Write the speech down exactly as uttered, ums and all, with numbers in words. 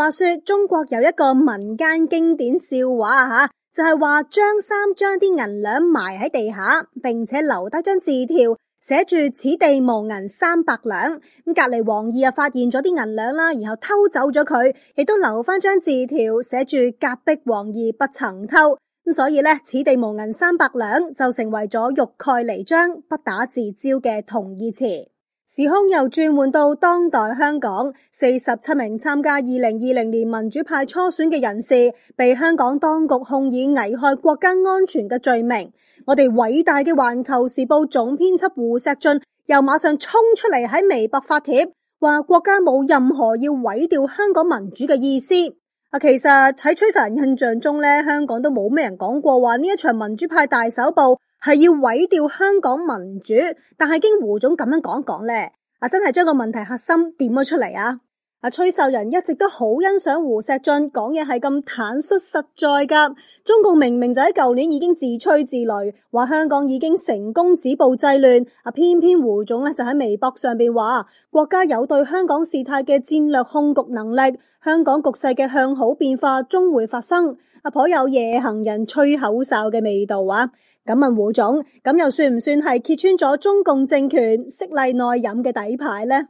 話說中國有一個民間經典笑話吓，就係話張三將啲銀兩埋喺地下，並且留低張字條，寫住此地無銀三百兩。咁隔籬王二啊發現咗啲銀兩啦，然後偷走咗佢，亦都留翻張字條，寫住隔壁王二不曾偷。咁所以呢，此地無銀三百兩就成為咗欲蓋彌彰、不打自招嘅同義詞。時空又轉換到當代香港，四十七名參加二零二零年民主派初選嘅人士被香港當局控以危害國家安全嘅罪名。我哋偉大嘅環球時報總編輯胡錫進又馬上衝出嚟喺微博發帖，話國家冇任何要毀掉香港民主嘅意思。啊，其實喺吹哨人印象中咧，香港都冇咩人講過話呢一場民主派大搜捕係要毀掉香港民主，但係經胡總咁樣講講咧，啊真係將個問題核心點咗出嚟啊！啊，吹哨人一直都好欣賞胡錫進講嘢係咁坦率實在噶。中共明明就喺舊年已經自吹自擂，話香港已經成功止暴制亂，啊偏偏胡總咧就喺微博上邊話國家有對香港事態嘅戰略控局能力，香港局勢嘅向好變化終會發生，啊頗有夜行人吹口哨嘅味道啊！咁問胡總，咁又算唔算係揭穿咗中共政權色厲內荏嘅底牌呢？